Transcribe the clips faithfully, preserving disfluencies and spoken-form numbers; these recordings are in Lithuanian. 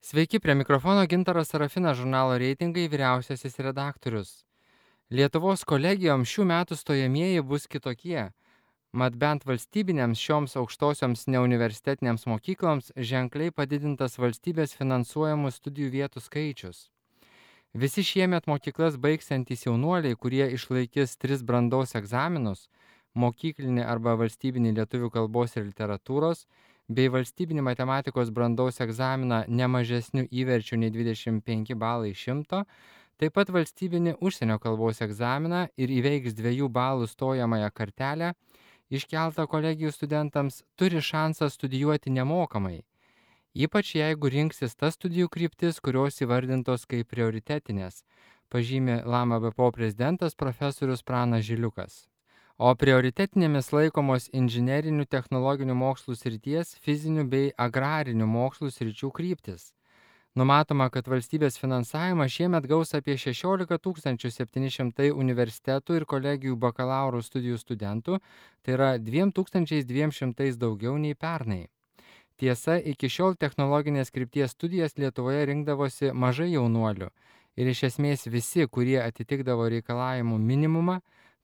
Sveiki, prie mikrofono Gintaras Sarafinas, žurnalo reitingai vyriausiasis redaktorius. Lietuvos kolegijoms šių metų stojamieji bus kitokie, mat bent valstybinėms šioms aukštosioms neuniversitetinėms mokykloms ženkliai padidintas valstybės finansuojamų studijų vietų skaičius. Visi šiemet mokyklas baigsiantys jaunuoliai, kurie išlaikys tris brandos egzaminus – mokyklinį arba valstybinį lietuvių kalbos ir literatūros, bei valstybinį matematikos brandos egzaminą ne mažesniu įverčiu nei dvidešimt penki balai iš šimto, taip pat valstybinį užsienio kalbos egzaminą ir įveiks dviejų balų stojamąją kartelę, iškeltą kolegijų studentams turi šansą studijuoti nemokamai, ypač jeigu rinksis tas studijų kryptis, kurios įvardintos kaip prioritetinės, pažymi Lama B P O prezidentas profesorius Pranas Žiliukas. O prioritetinėmis laikomos inžinerinių technologinių mokslų srities, fizinių bei agrarinių mokslų sričių kryptis. Numatoma, kad valstybės finansavimą šiemet gaus apie šešiolika tūkstančių septyni šimtai universitetų ir kolegijų bakalauro studijų studentų, tai yra dviem tūkstančiais dviem šimtais daugiau nei pernai. Tiesa, iki šiol technologinės krypties studijas Lietuvoje rinkdavosi mažai jaunuolių ir iš esmės visi, kurie atitikdavo reikalavimų minimumą,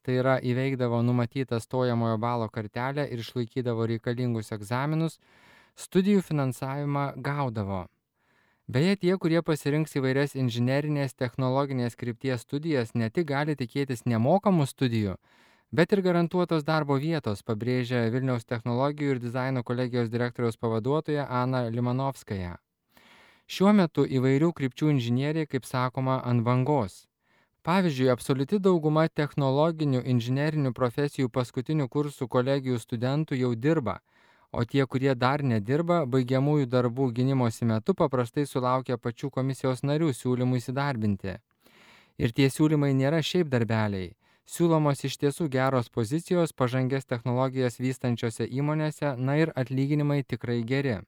tai yra įveikdavo numatytą stojamojo balo kartelę ir išlaikydavo reikalingus egzaminus, studijų finansavimą gaudavo. Beje, tie, kurie pasirinks įvairias inžinerinės technologinės krypties studijas, ne tik gali tikėtis nemokamų studijų, bet ir garantuotos darbo vietos, pabrėžia Vilniaus technologijų ir dizaino kolegijos direktoriaus pavaduotoja Ana Limanovskaja. Šiuo metu įvairių krypčių inžinieriai, kaip sakoma, ant bangos. Pavyzdžiui, absoliuti dauguma technologinių inžinerinių profesijų paskutinių kursų kolegijų studentų jau dirba, o tie, kurie dar nedirba, baigiamųjų darbų gynimosi metu paprastai sulaukia pačių komisijos narių siūlymų įsidarbinti. Ir tie siūlymai nėra šiaip darbeliai. Siūlomos iš tiesų geros pozicijos pažangias technologijas vystančiose įmonėse, na ir atlyginimai tikrai geri.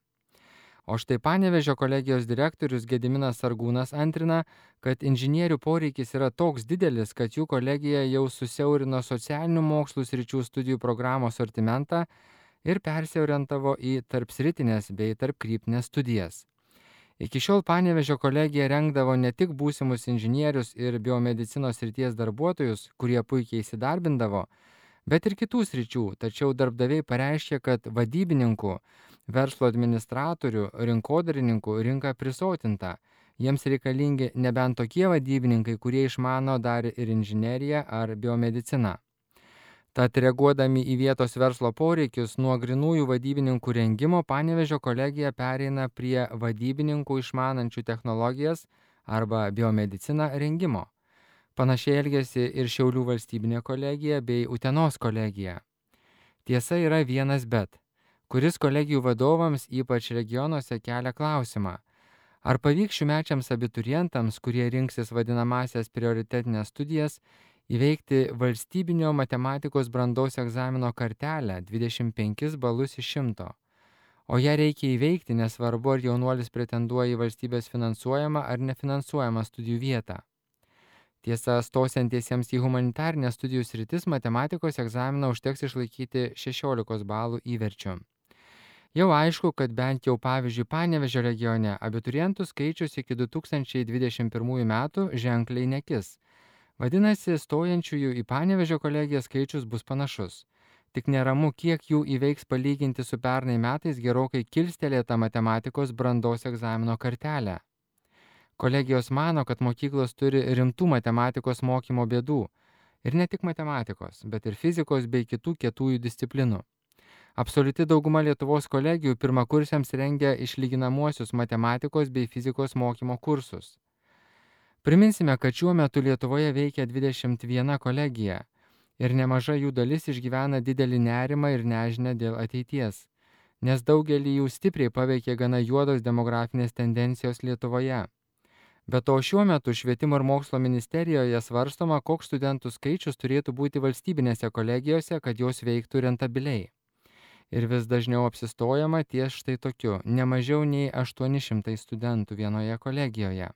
O štai Panevėžio kolegijos direktorius Gediminas Sargūnas antrina, kad inžinierių poreikis yra toks didelis, kad jų kolegija jau susiaurino socialinių mokslų sričių studijų programos sortimentą ir persiorientavo į tarpsritinės bei tarpkryptinės studijas. Iki šiol Panevėžio kolegija rengdavo ne tik būsimus inžinierius ir biomedicinos srities darbuotojus, kurie puikiai įsidarbindavo, bet ir kitų sričių, tačiau darbdaviai pareiškė, kad vadybininkų, verslo administratorių, rinkodarininkų rinka prisotinta. Jiems reikalingi nebent tokie vadybininkai, kurie išmano dar ir inžineriją ar biomediciną. Tad reaguodami į vietos verslo poreikius, nuo grinųjų vadybininkų rengimo Panevėžio kolegija pereina prie vadybininkų išmanančių technologijas arba biomediciną rengimo. Panašiai elgėsi ir Šiaulių valstybinė kolegija bei Utenos kolegija. Tiesa yra vienas bet, kuris kolegijų vadovams, ypač regionuose, kelia klausimą. Ar pavyks šiųmečiams abiturientams, kurie rinksis vadinamasias prioritetinės studijas, įveikti valstybinio matematikos brandos egzamino kartelę dvidešimt penkis balus iš šimto? O ją reikia įveikti, nesvarbu, ar jaunuolis pretenduoja į valstybės finansuojamą ar nefinansuojamą studijų vietą. Tiesa, stosiantiesiems į humanitarinės studijų sritis matematikos egzaminą užteks išlaikyti šešiolikos balų įverčiu. Jau aišku, kad bent jau pavyzdžiui Panevėžio regione abiturientų skaičius iki du tūkstančiai dvidešimt pirmųjų metų ženkliai nekis. Vadinasi, stojančiųjų į Panevėžio kolegiją skaičius bus panašus. Tik neramu, kiek jų įveiks palyginti su pernai metais gerokai kilstelėtą matematikos brandos egzamino kartelę. Kolegijos mano, kad mokyklos turi rimtų matematikos mokymo bėdų. Ir ne tik matematikos, bet ir fizikos bei kitų kietųjų disciplinų. Absoliuti dauguma Lietuvos kolegijų pirmakursiams rengia išlyginamuosius matematikos bei fizikos mokymo kursus. Priminsime, kad šiuo metu Lietuvoje veikia dvidešimt viena kolegija ir nemaža jų dalis išgyvena didelį nerimą ir nežinią dėl ateities, nes daugelį jų stipriai paveikė gana juodos demografinės tendencijos Lietuvoje. Be to šiuo metu Švietimo ir mokslo ministerijoje svarstoma, koks studentų skaičius turėtų būti valstybinėse kolegijose, kad jos veiktų rentabiliai. Ir vis dažniau apsistojama ties štai tokiu, ne mažiau nei aštuoni šimtai studentų vienoje kolegijoje.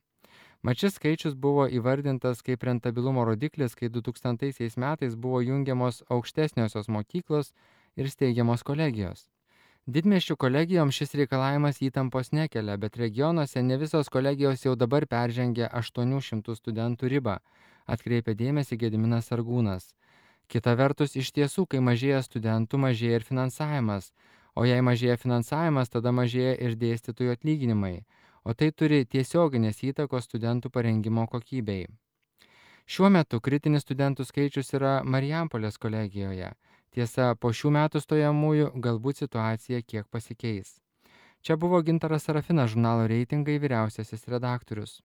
Mat šis skaičius buvo įvardintas kaip rentabilumo rodiklis, kai du tūkstantaisiais metais buvo jungiamos aukštesniosios mokyklos ir steigiamos kolegijos. Didmiesčių kolegijoms šis reikalavimas įtampos nekelia, bet regionuose ne visos kolegijos jau dabar peržengia aštuonių šimtų studentų ribą, atkreipia dėmesį Gediminas Sargūnas. Kita vertus, iš tiesų, kai mažėja studentų, mažėja ir finansavimas, o jei mažėja finansavimas, tada mažėja ir dėstytojų atlyginimai, o tai turi tiesioginės įtakos studentų parengimo kokybei. Šiuo metu kritinis studentų skaičius yra Marijampolės kolegijoje. Tiesa, po šių metų stojamųjų galbūt situacija kiek pasikeis. Čia buvo Gintaras Sarafinas, žurnalo Reitingai vyriausiasis redaktorius.